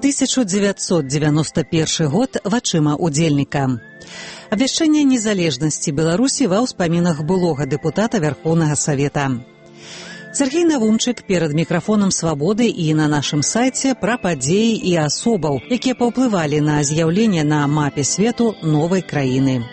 1991 год вачыма удзельніка. Абвяшчэнне незалежнасці Беларусі ва ўспамінах былога дэпутата Вярхоўнага Савета. Сергей Навумчык перад мікрафонам «Свабоды» і на нашым сайце пра падзеі і асобаў, якія паўплывалі на з'яўленне на мапе свету новай краіны.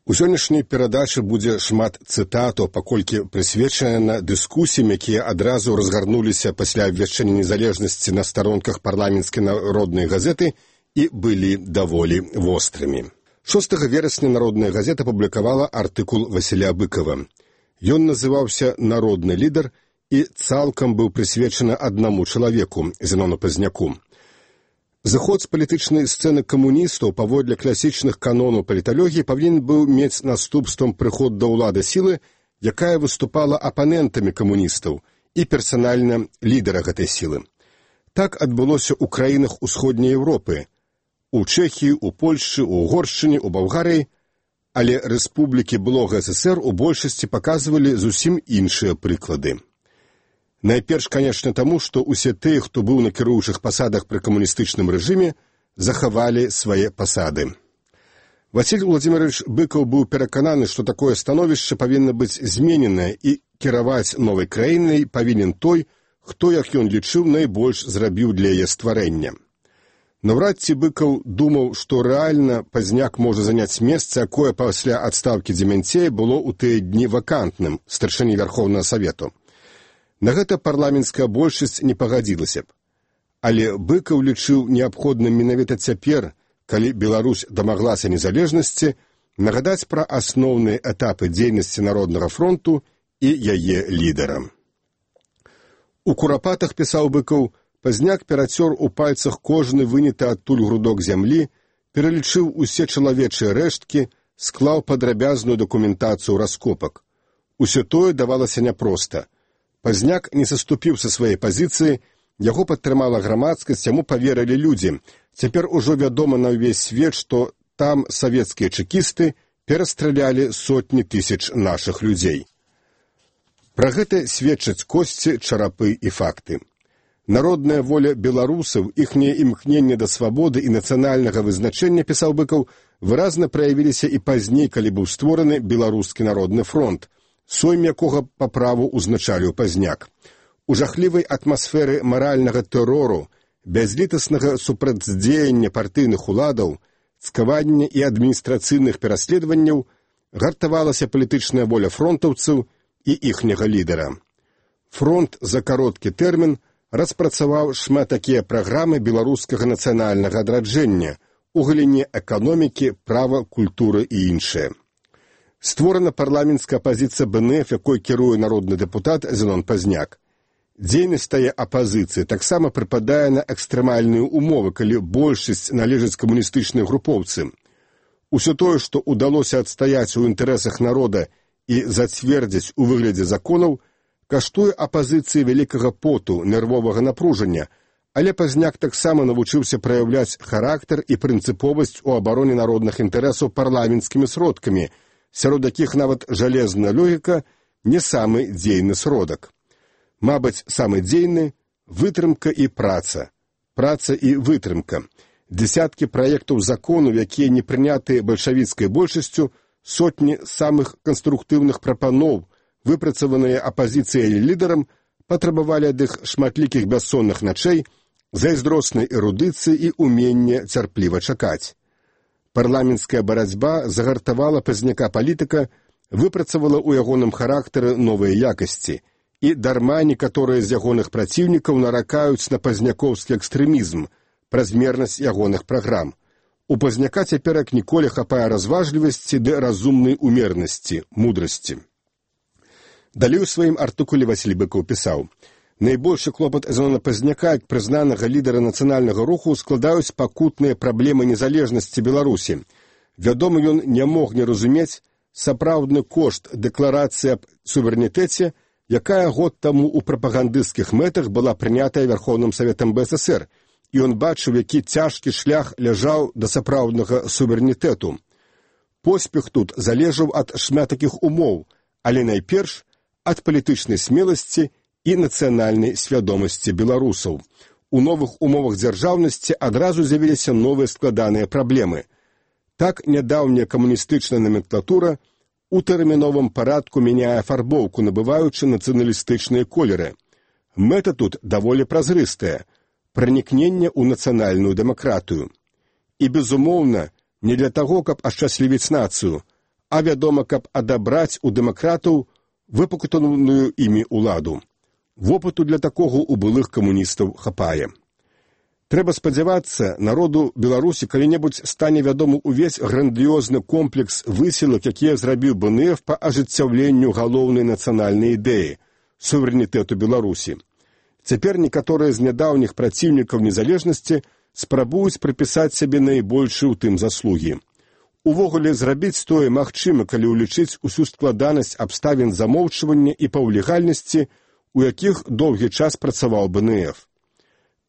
У сённяшняй перадачы будзе шмат цытатаў, паколькі прысвечана дыскусіям, якія адразу разгарнуліся пасля абвяшчэння незалежнасці на старонках парламенцкай народнай газеты і былі даволі вострымі. 6 верасня народная газета публікавала артыкул Васіля Быкова. Ён называўся «Народны лідар» і цалкам быў прысвечаны аднаму чалавеку, Зенону Пазняку. Заход з палітычнай сцэны камуністаў паводле класічных канонаў паліталогіі павінен быў мець наступствам прыход да ўлады сілы, якая выступала апанентамі камуністаў і персанальна лідара гэтай сілы. Так адбылося ў краінах усходняй Еўропы, у Чэхіі, у Польшчы, у Угоршчыне, у Балгарыі, але рэспублікі былога СССР у большасці паказвалі зусім іншыя прыклады. Найперш, канечне, таму, што ўсе тыя, хто быў на кіруючых пасадах пры камуністычным рэжыме, захавалі свае пасады. Васіль Владзімірович Быкаў быў перакананы, што такое становішча павінна быць змененае і кіраваць новай краінай павінен той, хто, як ён лічыў, найбольш зрабіў для яе стварэння. Наўрад ці Быкаў думаў, што рэальна Пазняк можа заняць месца, якое пасля адстаўкі Дземянцея было ў тыя дні вакантным, старшыні Вярхоўнага Савету. На гэта парламенцкая большасць не пагадзілася б. Але Быкаў лічыў неабходным менавіта цяпер, калі Беларусь дамаглася незалежнасці, нагадаць пра асноўныя этапы дзейнасці Народнага фронту і яе лідара. У курапатах, пісаў Быкаў, Пазняк перацёр у пальцах кожны выняты адтуль грудок зямлі, пералічыў усе чалавечыя рэшткі, склаў падрабязную дакументацыю раскопак. Усё тое давалася няпроста. Пазняк не саступіў са сваёй пазіцыі, яго падтрымала грамадскасць, яму паверылі людзі. Цяпер ужо вядома на ўвесь свет, што там савецкія чэкісты перастралялі сотні тысяч нашых людзей. Пра гэта сведчаць косці, чарапы і факты. Народная воля беларусаў, іхняе імкненне да свабоды і нацыянальнага вызначэння, пісаў Быкаў, выразна праявіліся і пазней, калі быў створаны Беларускі народны фронт, сойм якога па праву ўзначаліў Пазняк. У жахлівай атмасферы маральнага тэрору, бязлітаснага супрацьдзеяння партыйных уладаў, цкавання і адміністрацыйных пераследаванняў гартавалася палітычная воля фронтаўцаў і іхняга лідара. Фронт за кароткі тэрмін распрацаваў шмат такія праграмы беларускага нацыянальнага адраджэння у галіне эканомікі, права, культуры і іншае. Створана парламенцкая апазіцыя БНФ, якой кіруе народны дэпутат Зенон Пазняк. Дзейнасць тае апазіцыі таксама прыпадае на экстрэмальныя умовы, калі большасць належыць камуністычнай групоўцы. Усё тое, што ўдалося адстаяць у інтарэсах народа і зацвердзіць у выглядзе законаў, каштуе апазіцыі вялікага поту, нервовага напружання, але Пазняк таксама навучыўся праяўляць характар і прынцыповасць у абароне народных інтарэсаў парламенцкімі сродкамі, сярод якіх нават жалезная логіка не самы дзейны сродак. Мабыць, самы дзейны – вытрымка і праца. Праца і вытрымка. Дзесяткі праектаў закону, якія не прынятыя бальшавіцкай большасцю, сотні самых канструктыўных прапаноў, выпрацаваныя апазіцыяй і лідарам, патрабавалі ад іх шматлікіх бяссонных начэй, зайздроснай эрудыцыі і ўмення цярпліва чакаць. Парламенцкая барацьба загартавала Пазняка палітыка, выпрацавала ў ягоным характары новыя якасці, і дарма некаторыя з ягоных праціўнікаў наракаюць на пазнякоўскі экстрэмізм, празмернасць ягоных праграм. У Пазняка цяпер як ніколі хапае разважлівасці ды разумнай умернасці, мудрасці. Далей у сваім артыкуле Васіль Быкаў пісаў: найбольшы клопат Зенона Пазняка, як прызнанага лідара нацыянальнага руху, складаюць пакутныя праблемы незалежнасці Беларусі. Вядома, ён не мог не разумець сапраўдны кошт дэкларацыі аб суверэнітэце, якая год таму ў прапагандысцкіх мэтах была прынятая Вярхоўным Саветам БССР, і ён бачыў, які цяжкі шлях ляжаў да сапраўднага суверэнітэту. Поспех тут залежаў ад шмат такіх умоў, але найперш ад палітычнай смеласці і нацыянальнай свядомасці беларусаў. У новых умовах дзяржаўнасці адразу з'явіліся новыя складаныя праблемы. Так, нядаўняя камуністычная номенклатура у тэрміновым парадку мяняе афарбоўку, набываючы нацыяналістычныя колеры. Мэта тут даволі празрыстая – пранікненне ў нацыянальную дэмакратыю. І, безумоўна, не для таго, каб ашчаслівіць нацыю, а вядома, каб адабраць у дэмакратаў выпакутаную імі ўладу. Вопыту для такога ў былых камуністаў хапае. Трэба спадзявацца, народу Беларусі калі-небудзь стане вядомы ўвесь грандыёзны комплекс высілак, якія зрабіў БНФ па ажыццяўленню галоўнай нацыянальнай ідэі – суверэнітэту Беларусі. Цяпер некаторыя з нядаўніх праціўнікаў незалежнасці спрабуюць прыпісаць сябе найбольшыя ў тым заслугі. Увогуле, зрабіць тое магчыма, калі ўлічыць усю складанасць абставін замоўчвання і паўлегальнасці, у якіх доўгі час працаваў БНФ.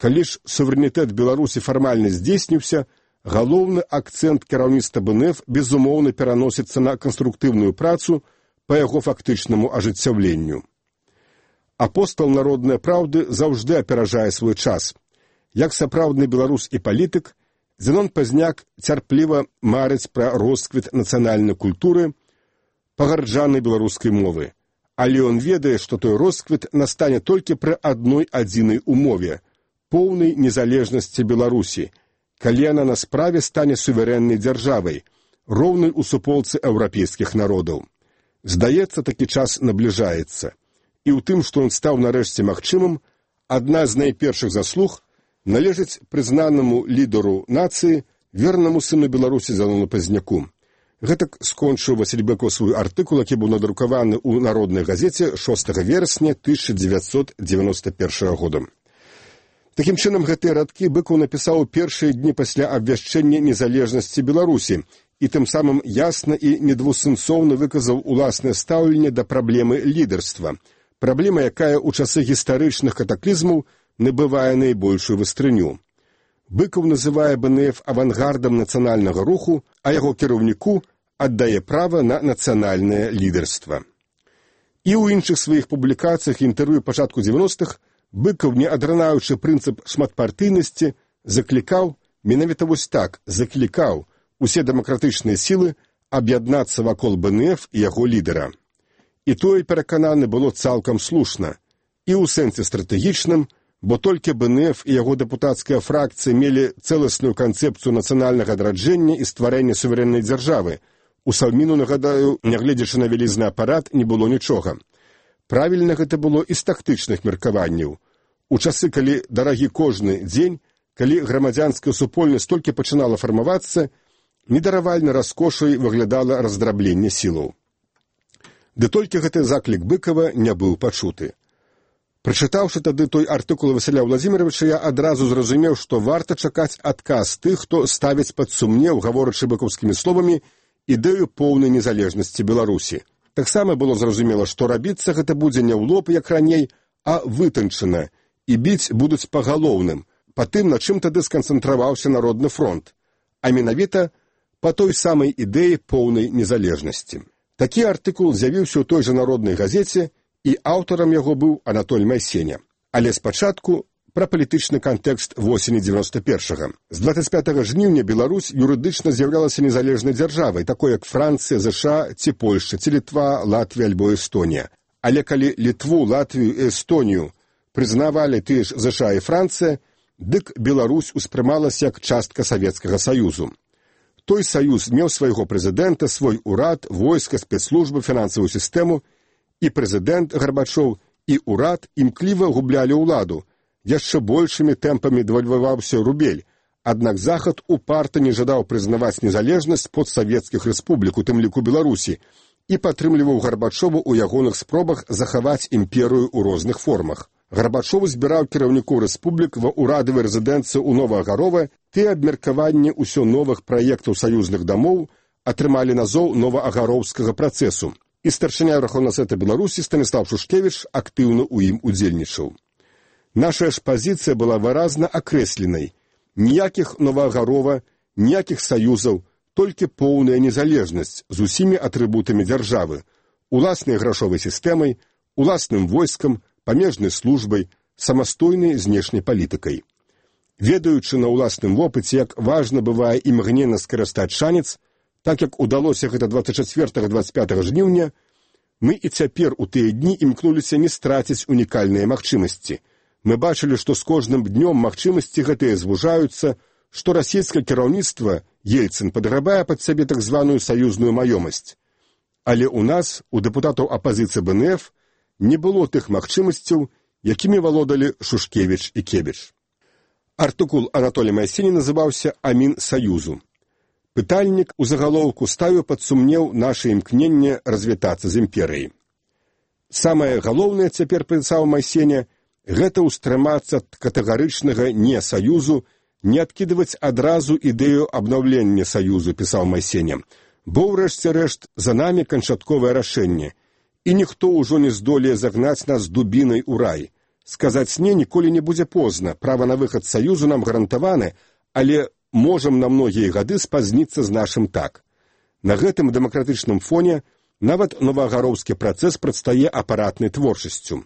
Калі ж суверэнітэт Беларусі фармальна здзейсніўся, галоўны акцэнт кіраўніцтва БНФ безумоўна пераносіцца на канструктыўную працу па яго фактычнаму ажыццяўленню. Апостал народнай праўды заўжды аперажае свой час. Як сапраўдны беларус і палітык, Зенон Пазняк цярпліва марыць пра росквіт нацыянальнай культуры, пагарджанай беларускай мовы. Але ён ведае, што той росквіт настане толькі пры адной адзінай умове – поўнай незалежнасці Беларусі, калі яна на справе стане суверэннай дзяржавай, роўнай у суполцы еўрапейскіх народаў. Здаецца, такі час набліжаецца. І ў тым, што ён стаў нарэшце магчымым, адна з найпершых заслуг належыць прызнанаму лідару нацыі, вернаму сыну Беларусі Зенону Пазняку. Гэтак скончыў Васіль Быкаў свой артыкул, які быў надрукаваны ў Народнай газеце 6 верасня 1991 года. Такім чынам, гэтыя радкі Быкаў напісаў у першыя дні пасля абвяшчэння незалежнасці Беларусі і тым самым ясна і недвусэнсоўна выказаў уласнае стаўленне да праблемы лідарства, праблема, якая ў часы гістарычных катаклізмаў набывае найбольшую вастрыню. Быкаў называе БНФ авангардам нацыянальнага руху, а яго кіраўніку аддае права на нацыянальнае лідарства. І ў іншых сваіх публікацыях і інтэрв'ю пачатку 90-х Быкаў, не адранаючы прынцып шматпартыйнасці, заклікаў, менавіта вось так, заклікаў усе дэмакратычныя сілы аб'яднацца вакол БНФ і яго лідара. І тое, перакананы, было цалкам слушна, і ў сэнсе стратэгічным, бо толькі БНФ і яго дэпутацкая фракцыя мелі цэласную канцэпцыю нацыянальнага адраджэння і стварэння суверэннай дзяржавы. У Саўміну, нагадаю, нягледзячы на вялізны апарат, не было нічога. Правільна гэта было і з тактычных меркаванняў. У часы, калі дарагі кожны дзень, калі грамадзянская супольнасць толькі пачынала фармавацца, недаравальна раскошай выглядала раздрабленне сілаў. Ды толькі гэты заклік Быкава не быў пачуты. Прачытаўшы тады той артыкул Васіля Владзіміровича, я адразу зразумеў, што варта чакаць адказ тых, хто ставіць пад сумнеў, гаворачы быкаўскімі словамі, ідэю поўнай незалежнасці Беларусі. Таксама было зразумела, што рабіцца гэта будзе не ў лоб, як раней, а вытанчана, і біць будуць па галоўным, па тым, на чым тады сканцэнтраваўся Народны фронт, а менавіта па той самай ідэі поўнай незалежнасці. Такі артыкул з'явіўся ў той жа Народнай газеце, і аўтарам яго быў Анатоль Майсеня. Але спачатку пра палітычны кантэкст восені 91-го. З 25 жніўня Беларусь юрыдычна з'яўлялася незалежнай дзяржавай, такой як Францыя, ЗША ці Польшча, ці Літва, Латвія альбо Эстонія. Але калі Літву, Латвію і Эстонію прызнавалі тыя ж ЗША і Францыя, дык Беларусь успрымалася як частка Савецкага Саюзу. Той саюз меў свайго прэзідэнта, свой урад, войска, спецслужбы, фінансавую сістэму, і прэзідэнт Гарбачоў, і урад імкліва гублялі ўладу. Яшчэ большымі тэмпамі дэвальваваўся рубель, аднак Захад упарта не жадаў прызнаваць незалежнасць постсавецкіх рэспублік, у тым ліку Беларусі, і падтрымліваў Гарбачову ў ягоных спробах захаваць імперыю ў розных формах. Гарбачов збіраў кіраўнікоў рэспублік ва ўрадавай рэзідэнцыі ў Новаагарова, тыя абмеркаванні ўсё новых праектаў саюзных дамоў атрымалі назоў новаагароўскага працэсу, і старшыня Верховнага Савета Беларусі Станіслав Шушкевіч актыўна ў ім удзельнічаў. Наша ж пазіцыя была выразна акрэсленай. Ніякіх Новаагарова, ніякіх саюзаў, толькі поўная незалежнасць з усімі атрыбутамі дзяржавы, уласнай грашовай сістэмай, уласным войскам, памежнай службай, самастойнай знешняй палітыкай. Ведаючы на ўласным вопыце, як важна бывае імгненна скарыстаць шанец, так як удалося гэта 24-25 жніўня, мы і цяпер у тыя дні імкнуліся не страціць унікальныя магчымасці. Мы бачылі, што з кожным днём магчымасці гэтыя звужаюцца, што расійскае кіраўніцтва, Ельцын, падграбае пад сябе так званую саюзную маёмасць. Але ў нас, у дэпутатаў апазіцыі БНФ, не было тых магчымасцяў, якімі валодалі Шушкевіч і Кебіч. Артыкул Анатолія Майсені называўся «Амін Саюзу». Пытальнік у загалоўку ставіў пад сумнеў наша імкненне развітацца з імперыяй. Самае галоўнае, цяпер пісаў Майсеня, гэта ўстрымацца ад катэгарычнага «не саюзу», не адкідваць адразу ідэю абнаўлення саюзу, пісаў Майсеня, бо ўрэшце рэшт за намі канчатковае рашэнне, і ніхто ўжо не здолее загнаць нас дубінай у рай. Сказаць «не» ніколі не будзе позна, права на выхад саюзу нам гарантаваны, але можам на многія гады спазніцца з нашым «так». На гэтым дэмакратычным фоне нават новаагароўскі працэс прадстае апаратнай творчасцю.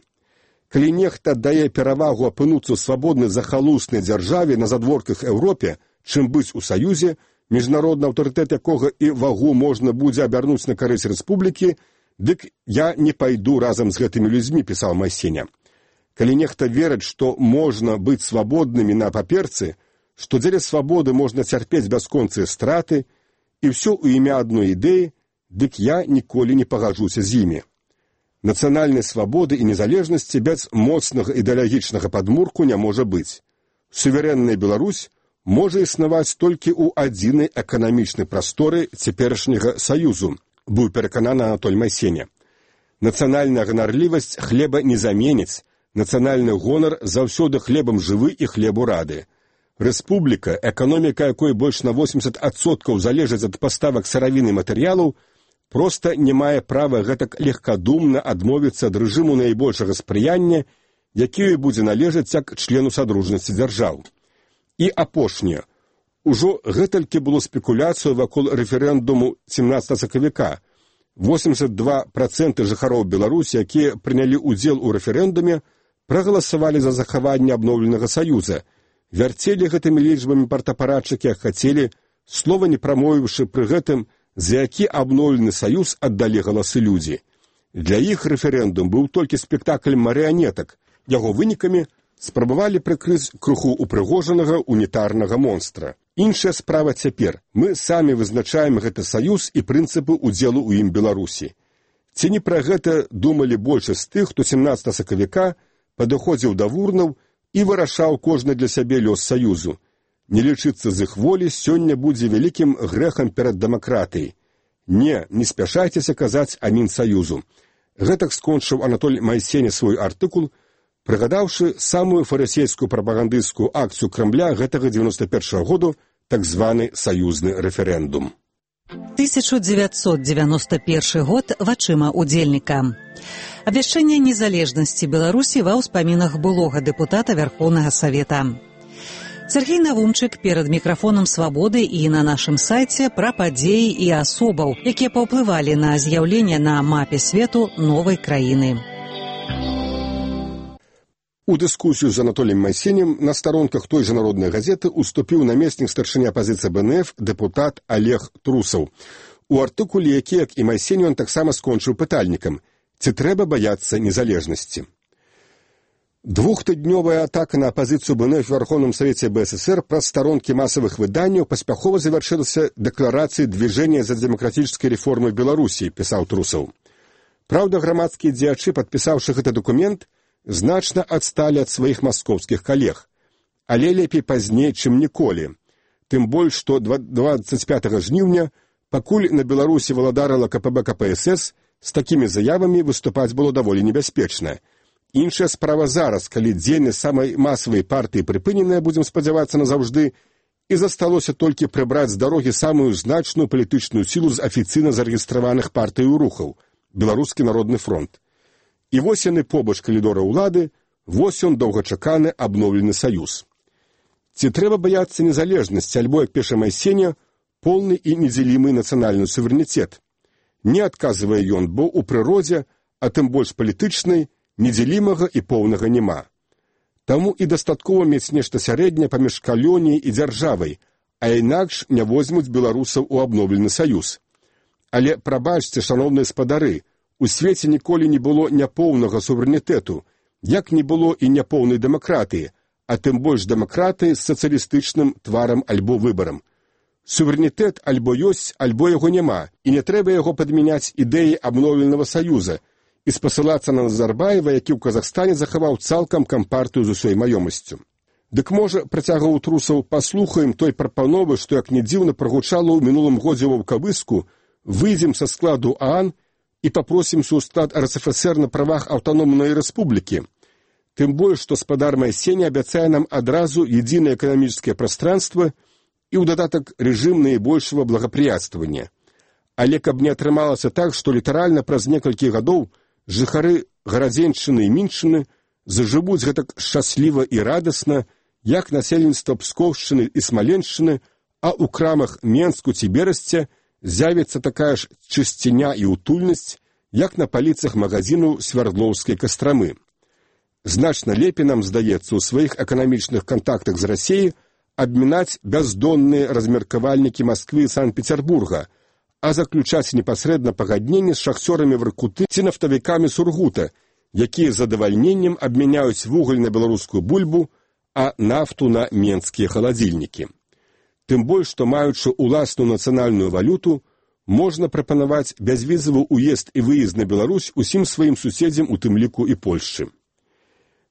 Калі нехта дае перавагу апынуцца ў свабоднай захалуснай дзяржаве на задворках Еўропе, чым быць у саюзе, міжнародны аўтарытэт якога і вагу можна будзе абярнуць на карысць рэспублікі, дык я не пайду разам з гэтымі людзьмі, пісаў Майсеня. Калі нехта верыць, што можна быць свабоднымі на паперцы, што дзеля свабоды можна цярпець бясконцыя страты, і ўсё ў імя адной ідэі, дык я ніколі не пагаджуся з імі. Нацыянальнай свабоды і незалежнасці без моцнага ідэалагічнага падмурку не можа быць. Суверэнная Беларусь можа існаваць толькі ў адзінай эканамічнай прасторы цяперашняга саюзу, быў перакананы Анатоль Майсеня. Нацыянальная ганарлівасць хлеба не заменіць, нацыянальны гонар заўсёды хлебам жывы і хлебу рады. Рэспубліка, эканоміка якой больш на 80% залежыць ад паставак сыравіны і матэрыялаў, проста не мае права гэтак легкадумна адмовіцца ад рэжыму найбольшага спрыяння, які будзе належаць як члену садружнасці дзяржаў. І апошняе. Ужо гэтулькі было спекуляцыю вакол рэферэндуму 17 сакавіка. 82% жыхароў Беларусі, якія прынялі ўдзел у рэферэндуме, прагаласавалі за захаванне абноўленага саюза. Вярцелі гэтымі лічбамі партапарадчыкі, як хацелі, слова не прамовіўшы пры гэтым, за які абноўлены саюз аддалі галасы людзі. Для іх рэферэндум быў толькі спектакль марыянетак. Яго вынікамі спрабавалі прыкрыць крыху упрыгожанага унітарнага монстра. Іншая справа цяпер. Мы самі вызначаем гэты саюз і прынцыпы ўдзелу ў ім Беларусі. Ці не пра гэта думалі большасць тых, хто 17 сакавіка падыходзіў да вурнаў і вырашаў кожны для сябе лёс саюзу. Не лічыцца з іх волі сёння будзе вялікім грэхам перад дэмакратыяй. Не спяшайцеся казаць амін саюзу. Гэтак скончыў Анатоль Майсеня свой артыкул, прыгадаўшы самую фарысейскую прапагандысцкую акцыю Крамля гэтага 91-го году, так званы саюзны рэферэндум. 1991 год вачыма удзельніка. Абвяшчэнне незалежнасці Беларусі ва ўспамінах былога дэпутата Верхоўнага Савета. Сергей Навумчык перад мікрафонам «Свабоды» і на нашым сайце пра падзеі і асобаў, якія паўплывалі на з'яўленне на мапе свету новай краіны. У дыскусію з Анатоліем Майсенем на старонках той жа народнай газеты уступіў намеснік старшыні апазіцыі БНФ дэпутат Олег Трусаў. У артыкуле, які, як і Майсень, ён таксама скончыў пытальнікам: ці трэба баяцца незалежнасці? Двухтыднёвая атака на апазіцыю БНФ в Верховном Совете БССР праз старонкі масавых выданняў паспяхова завяршылася дэкларацыяй движения за демократической реформы Беларусі, пісаў Трусаў. Праўда, грамадскія дзеячы, падпісаўшы гэты документ, значна адсталі ад сваіх маскоўскіх калег. Але лепей пазней, чым ніколі. Тым больш, што 25 жніўня, пакуль на Беларусі валадарыла КПБ КПСС, з такімі заявамі выступаць было даволі небяспечна. Іншая справа зараз, калі дзейнасць самай масавай партыі прыпыненая, будзем спадзявацца назаўжды, і засталося толькі прыбраць з дарогі самую значную палітычную сілу з афіцыйна зарэгістраваных партыяў рухаў – Беларускі народны фронт. І вось яны побач калідора ўлады, вось ён доўгачаканы абноўлены саюз. Ці трэба баяцца незалежнасці, альбо, як піша Майсеня, полны і недзелімы нацыянальны суверэнітэт? Не адказвае ён, бо ў прыродзе, а тым больш палітычнай, недзелімага і поўнага няма. Таму і дастаткова мець нешта сярэдняе паміж калоніяй і дзяржавай, а інакш не возьмуць беларусаў у абноўлены саюз. Але прабачце, шаноўныя спадары, у свеце ніколі не было няпоўнага суверэнітэту, як не было і няпоўнай дэмакратыі, а тым больш дэмакратыі з сацыялістычным тварам альбо выбарам. Суверэнітэт альбо ёсць, альбо яго няма, і не трэба яго падмяняць ідэі абноўленага саюза і спасылацца на Назарбаева, які ў Казахстане захаваў цалкам кампартыю з усёй маёмасцю. Дык можа, працягваў Трусаў, паслухаем той прапановы, што як не дзіўна прагучала ў мінулым годзе ў Ваўкавыску, выйдзем са складу ААН і папросімся ў склад РСФСР на правах аўтаномнай рэспублікі. Тым больш, што спадар Майсені абяцае нам адразу единое эканамічнае прастранства і ў дадатак рэжым найбольшага благапрыятствавання. Але каб не атрымалася так, што літаральна праз некалькі гадоў жыхары Гарадзеншчыны і Мінчыны зажывуць гэтак шчасліва і радасна, як насельніцтва Пскоўшчыны і Смаленшчыны, а ў крамах Менску ці Берасця з'явіцца такая ж чысціня і утульнасць, як на паліцах магазіну Свярдлоўскай Кастрамы. Значна лепей нам здаецца ў сваіх эканамічных кантактах з Расіяй абмінаць бяздонныя размеркавальнікі Масквы і Санкт-Петербурга, а заключаць непасрэдна пагадненне з шахцёрамі Воркуты ці нафтавікамі Сургута, якія з задавальненнем абмяняюць вугаль на беларускую бульбу, а нафту на менскія халадзільнікі. Тым больш, што маючы ўласную нацыянальную валюту, можна прапанаваць бязвізавы ўезд і выезд на Беларусь усім сваім суседзям, у тым ліку і Польшчы.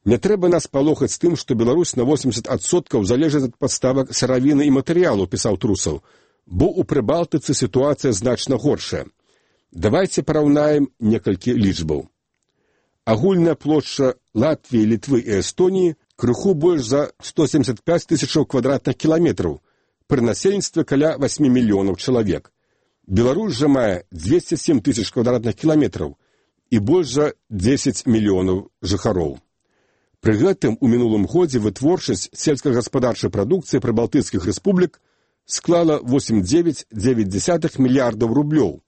Не трэба нас палохаць тым, што Беларусь на 80% залежыць ад паставак сыравіны і матэрыялу, пісаў Трусаў, бо ў Прыбалтыцы сітуацыя значна горшая. Давайце параўнаем некалькі лічбаў. Агульная плошча Латвіі, Літвы і Эстоніі крыху больш за 175 тысячаў квадратных кіламетраў, пры насельніцтве каля 8 мільёнаў чалавек. Беларусь жа мае 207 тысяч квадратных кіламетраў і больш за 10 мільёнаў жыхароў. Пры гэтым у мінулым годзе вытворчасць сельскагаспадарчай прадукцыі прыбалтыцкіх рэспублік склала 8,9 мільярдаў рублёў.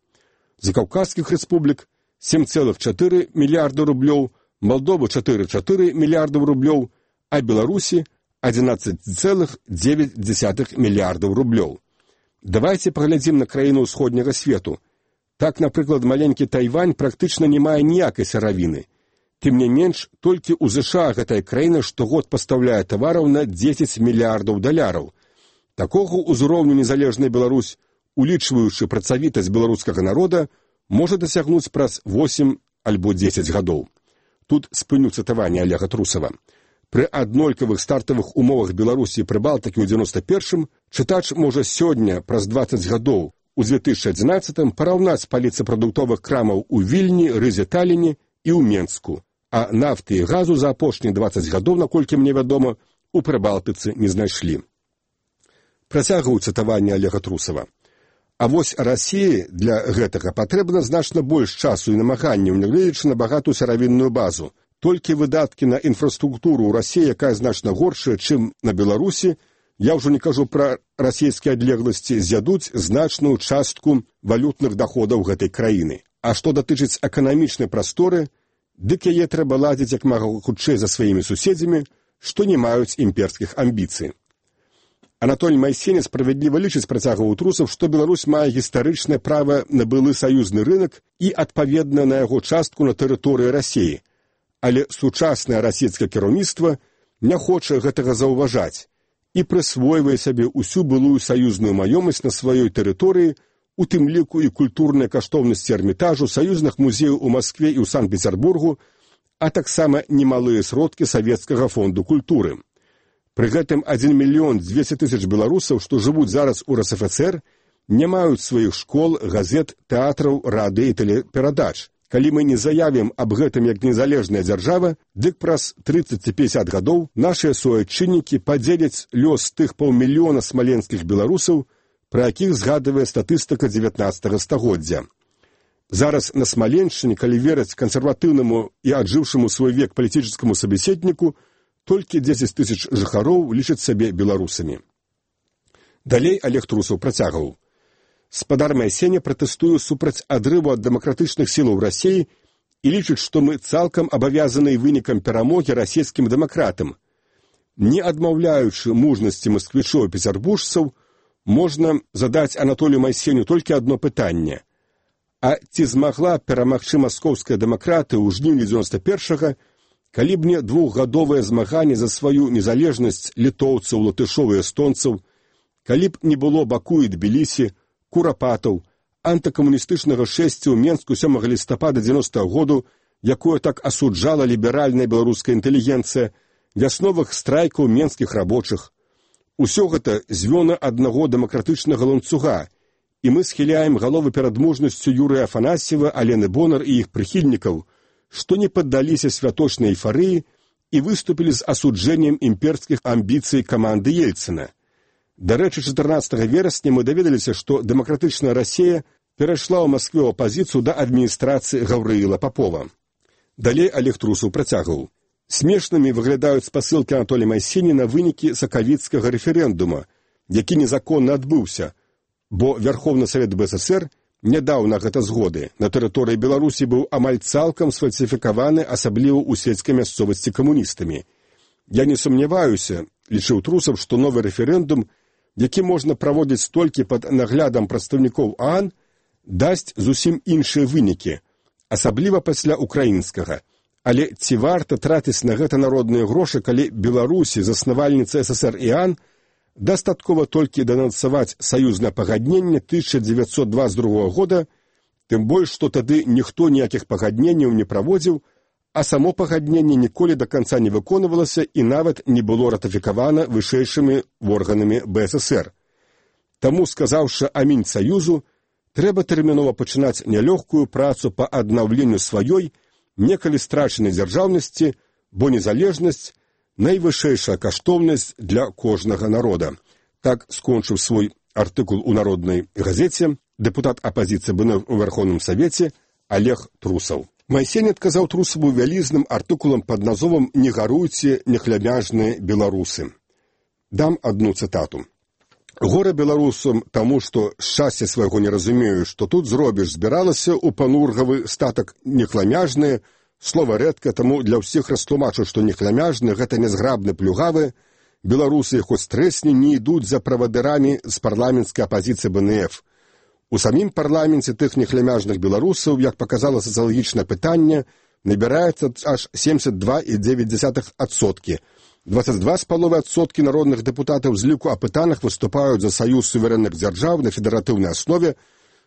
Закаўказскіх рэспублік 7,4 мільярда рублёў, Малдовы 4,4 мільярдаў рублёў, а Беларусі 11,9 мільярдаў рублёў. Давайце паглядзім на краіну ўсходняга свету. Так, напрыклад, маленькі Тайвань практычна не мае ніякай сыравіны. Тым не менш, толькі ў ЗША гэтая краіна штогод пастаўляе тавараў на 10 мільярдаў даляраў. Такога ўзроўню незалежная Беларусь, улічваючы працавітасць беларускага народа, можа дасягнуць праз 8 альбо 10 гадоў. Тут спыню цытаванне Олега Трусава. Пры аднолькавых стартавых умовах Беларусі і Прыбалтыкі ў 91-м чытач можа сёння, праз 20 гадоў, у 2011-м параўнаць паліцы прадуктовых крамаў у Вільні, Рызе, Таліне і ў Менску, а нафты і газу за апошнія 20 гадоў, наколькі мне вядома, у Прыбалтыцы не знайшлі. Працягваю цытаванне Олега Трусава. А вось Расіі для гэтага патрэбна значна больш часу і намаганняў, нягледзячы на багатую сыравінную базу. Толькі выдаткі на інфраструктуру ў Расіі, якая значна горшая, чым на Беларусі, я ўжо не кажу пра расійскія адлегласці, з'ядуць значную частку валютных даходаў гэтай краіны. А што датычыць эканамічнай прасторы, дык яе трэба ладзіць як мага хутчэй за сваімі суседзямі, што не маюць імперскіх амбіцый. Анатоль Майсені справядліва лічыць, працягваў Трусаў, што Беларусь мае гістарычнае права на былы саюзны рынак і адпаведна на яго частку на тэрыторыі Расіі. Але сучаснае расійскае кіраўніцтва не хоча гэтага заўважаць і прысвойвае сабе ўсю былую саюзную маёмасць на сваёй тэрыторыі, у тым ліку і культурныя каштоўнасці Эрмітажу, саюзных музеяў у Маскве і ў Санкт-Петербургу, а таксама немалыя сродкі Савецкага фонду культуры. Пры гэтым 1 200 000 беларусаў, што жывуць зараз у РСФСР, не маюць сваіх школ, газет, тэатраў, радыё і тэлеперадач. Калі мы не заявім аб гэтым як незалежная дзяржава, дык праз 30-50 гадоў нашыя суайчыннікі падзеляць лёс тых 500 000 смаленскіх беларусаў, пра якіх згадвае статыстыка 19 стагоддзя. Зараз на Смаленшчыне, калі верыць кансерватыўнаму і аджыўшаму свой век палітычнаму сабеседніку, толькі 10 000 жыхароў лічаць сабе беларусамі. Далей Олег Трусаў працягваў. Спадар Майсені пратэстуе супраць адрыву ад дэмакратычных сілаў Расіі і лічыць, што мы цалкам абавязаны вынікам перамогі расійскім дэмакратам. Не адмаўляючы мужнасці масквічоў і пецярбуржцаў, можна задаць Анатолію Майсеню толькі адно пытанне. А ці змагла перамагчы маскоўская дэмакратыя ў жніўні 91-га, калі б не двухгадовае змаганне за сваю незалежнасць літоўцаў, латышоў і эстонцаў, калі б не было Баку і Тбілісі, курапатаў, антыкамуністычнага шэсця ў Менску 7 лістапада 90-го году, якое так асуджала ліберальная беларуская інтэлігенцыя, вясновых страйкаў менскіх рабочых. Усё гэта звёны аднаго дэмакратычнага ланцуга, і мы схіляем галовы перад мужнасцю Юрыя Афанасьева, Алены Бонар і іх прыхільнікаў, што не паддаліся святочнай эйфарыі і выступілі з асуджэннем імперскіх амбіцый каманды Ельцына. Дарэчы, 14 верасня мы даведаліся, што дэмакратычная Расія перайшла ў Маскве ў апазіцыю да адміністрацыі Гаўрыіла Папова. Далей Олег Трусаў працягваў. Смешнымі выглядаюць спасылкі Анатолія Майсені на вынікі сакавіцкага рэферэндума, які незаконна адбыўся, бо Верховны Савет БССР не даў на гэта згоды. На тэрыторыі Беларусі быў амаль цалкам сфальсіфікаваны, асабліва ў сельскай мясцовасці камуністамі. Я не сумняваюся, лічыў Трусаў, што новы рэферэндум, які можна праводзіць толькі пад наглядам прадстаўнікоў ААН, дасць зусім іншыя вынікі, асабліва пасля украінскага. Але ці варта траціць на гэта народныя грошы, калі Беларусі, заснавальніца СССР і ААН, дастаткова толькі данансаваць саюзнае пагадненне 1922 года, тым больш, што тады ніхто ніякіх пагадненняў не праводзіў, а само пагадненне ніколі да канца не выконвалася і нават не было ратыфікавана вышэйшымі органамі БССР. Таму, сказаўшы амінь саюзу, трэба тэрмінова пачынаць нялёгкую працу па аднаўленню сваёй, некалі страчанай дзяржаўнасці, бо незалежнасць – найвышэйшая каштоўнасць для кожнага народа. Так скончыў свой артыкул у Народнай газеце дэпутат апазіцыі БНР у Верховным Савеце Олег Трусаў. Майсень адказаў Трусаву вялізным артыкулам пад назвом «Не гаруйце, нехлябяжныя беларусы». Дам адну цытату. «Гора беларусам таму, што шчасця свайго не разумею, што тут зробіш, збіралася ў панургавы статак нехламяжныя, слова рэдка, таму для ўсіх растлумачу, што нехламяжны – гэта нязграбны плюгавы, беларусы, хоць трэсні, не ідуць за правадырамі з парламенцкай апазіцыі БНФ. У самім парламенце тых нехлямяжных беларусаў, як паказала сацыялагічнае пытанне, набіраецца аж 72,9%. 22,5% народных дэпутатаў з ліку апытаных выступаюць за саюз суверэнных дзяржаў на федэратыўнай аснове,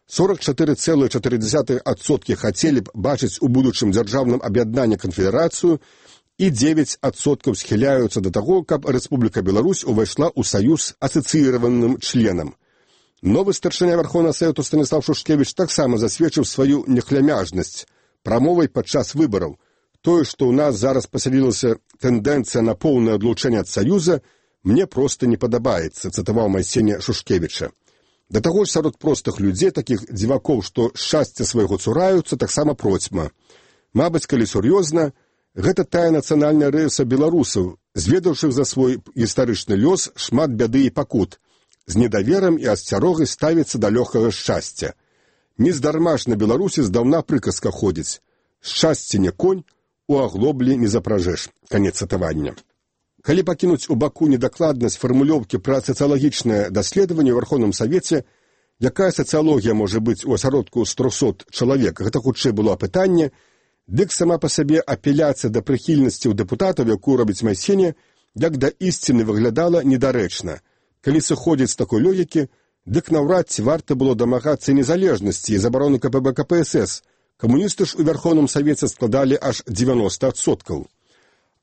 44,4% хацелі б бачыць у будучым дзяржаўным аб'яднанні канфедэрацыю і 9% схіляюцца да таго, каб Рэспубліка Беларусь увайшла ў саюз асацыіраваным членам. Новы старшыня Верховнага Савету Станіслав Шушкевіч таксама засведчыў сваю нехлямяжнасць прамовай падчас выбараў. Тое, што ў нас зараз пасялілася тэндэнцыя на поўнае адлучэнне ад саюза, мне проста не падабаецца, цытаваў Майсеня Шушкевіча. Да таго ж сярод простых людзей, такіх дзівакоў, што шчасця свайго цураюцца, таксама процьма. Мабыць, калі сур'ёзна, гэта тая нацыянальная рыса беларусаў, зведаўшых за свой гістарычны лёс шмат бяды і пакут, з недаверам і асцярогай ставіцца да лёгкага шчасця. Нездарма ж на Беларусі здаўна прыказка ходзіць: «Шчасце не конь, у аглоблі не запражэш». Канец цытавання. Калі пакінуць у баку недакладнасць фармулёўкі пра сацыялагічнае даследаванне ў Верховным Савеце, якая сацыялогія можа быць у асяродку з 300 чалавек, гэта хутчэй было апытанне, дык сама па сабе апеляцыя да прыхільнасці ў дэпутатаў, якую робіць Майсеня, як да ісціны выглядала недарэчна. Калі сыходзіць з такой логікі, дык наўрад ці варта было дамагацца незалежнасці і забароны КПБ КПСС. Камуністы ж у Верховным Савеце складалі аж 90%.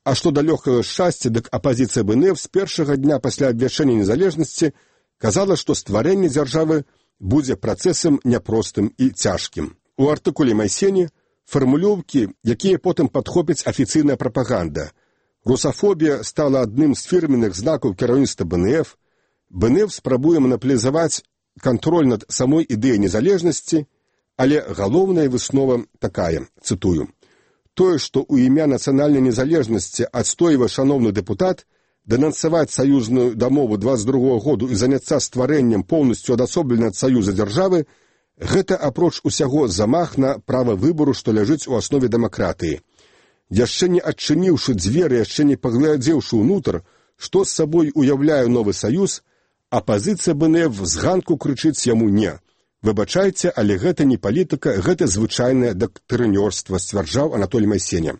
А што да лёгкага шчасця, дык апазіцыя БНФ з першага дня пасля абвяшчэння незалежнасці казала, што стварэнне дзяржавы будзе працэсам няпростым і цяжкім. У артыкуле Майсені фармулёўкі, якія потым падхопіць афіцыйная прапаганда. Русафобія стала адным з фірменных знакаў кіраўніцтва БНФ. БНФ спрабуе манаполізаваць кантроль над самой ідэяй незалежнасці, але галоўная выснова такая, цытую: «Тое, што ў імя нацыянальнай незалежнасці адстойвае шаноўны дэпутат, данансаваць саюзную дамову 22 году і заняцца стварэннем поўнасцю адасобленай ад саюза дзяржавы, Гэта, апроч усяго, замах на права выбару, што ляжыць у аснове дэмакратыі. Яшчэ не адчыніўшы дзверы, яшчэ не паглядзеўшы ўнутр, што з сабой уяўляе новы саюз, апазіцыя БНФ з ганку крычыць яму «не». Выбачайце, але гэта не палітыка, гэта звычайнае дактрынёрства, сцвярджаў Анатолій Майсеня.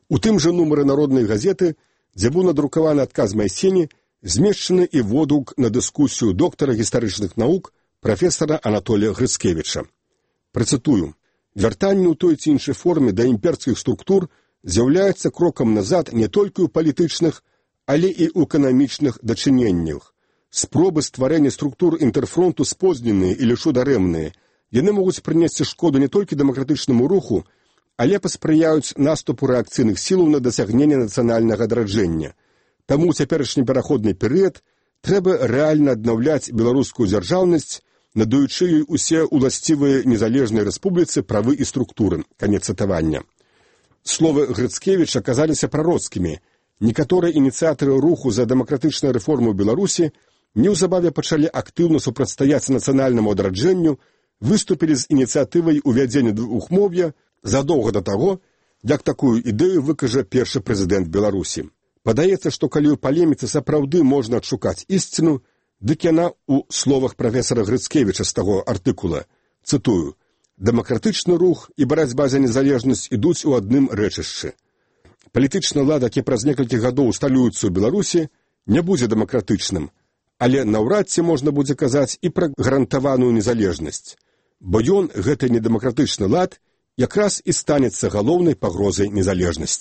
У тым жа нумары народнай газеты, дзе быў надрукаваны адказ Майсені, змешчаны і водгук на дыскусію доктара гістарычных навук прафесара Анатолія Грыцкевіча. Працытую. Вяртанне ў той ці іншай форме да імперскіх структур з'яўляецца крокам назад не толькі ў палітычных, але і ў эканамічных дачыненнях. Спробы стварэння структур інтэрфронту спозненыя і лишу дарэмныя. Яны могуць прынесці шкоду не толькі дэмакратычнаму руху, але паспрыяюць наступу рэакцыйных сілаў на дасягненне нацыянальнага адраджэння. Таму ў цяперашні пераходны перыяд трэба рэальна аднаўляць беларускую дзяржаўнасць, надаючы ёй усе уласцівыя незалежнай рэспубліцы правы і структуры. Канец цытавання. Словы Грыцкевіча аказаліся прароцкімі. Некаторыя ініцыятары руху за дэмакратычную рэформу Беларусі неўзабаве пачалі актыўна супрацьстаяць нацыянальнаму адраджэнню, выступілі з ініцыятывай увядзення двухмоўя задоўга да таго, як такую ідэю выкажа першы прэзідэнт Беларусі. Падаецца, што калі ў палеміцы сапраўды можна адшукаць ісціну, дык яна ў словах прафесара Грыцкевіча з таго артыкула. Цытую. «Дэмакратычны рух і барацьба за незалежнасць ідуць у адным рэчышчы. Палітычны лад, які праз некалькі гадоў усталюецца ў Беларусі, не будзе дэмакратычным, але наўрад ці можна будзе казаць і пра гарантаваную незалежнасць, бо ён, гэты недэмакратычны лад, якраз і станецца галоўнай пагрозай незалежнасці».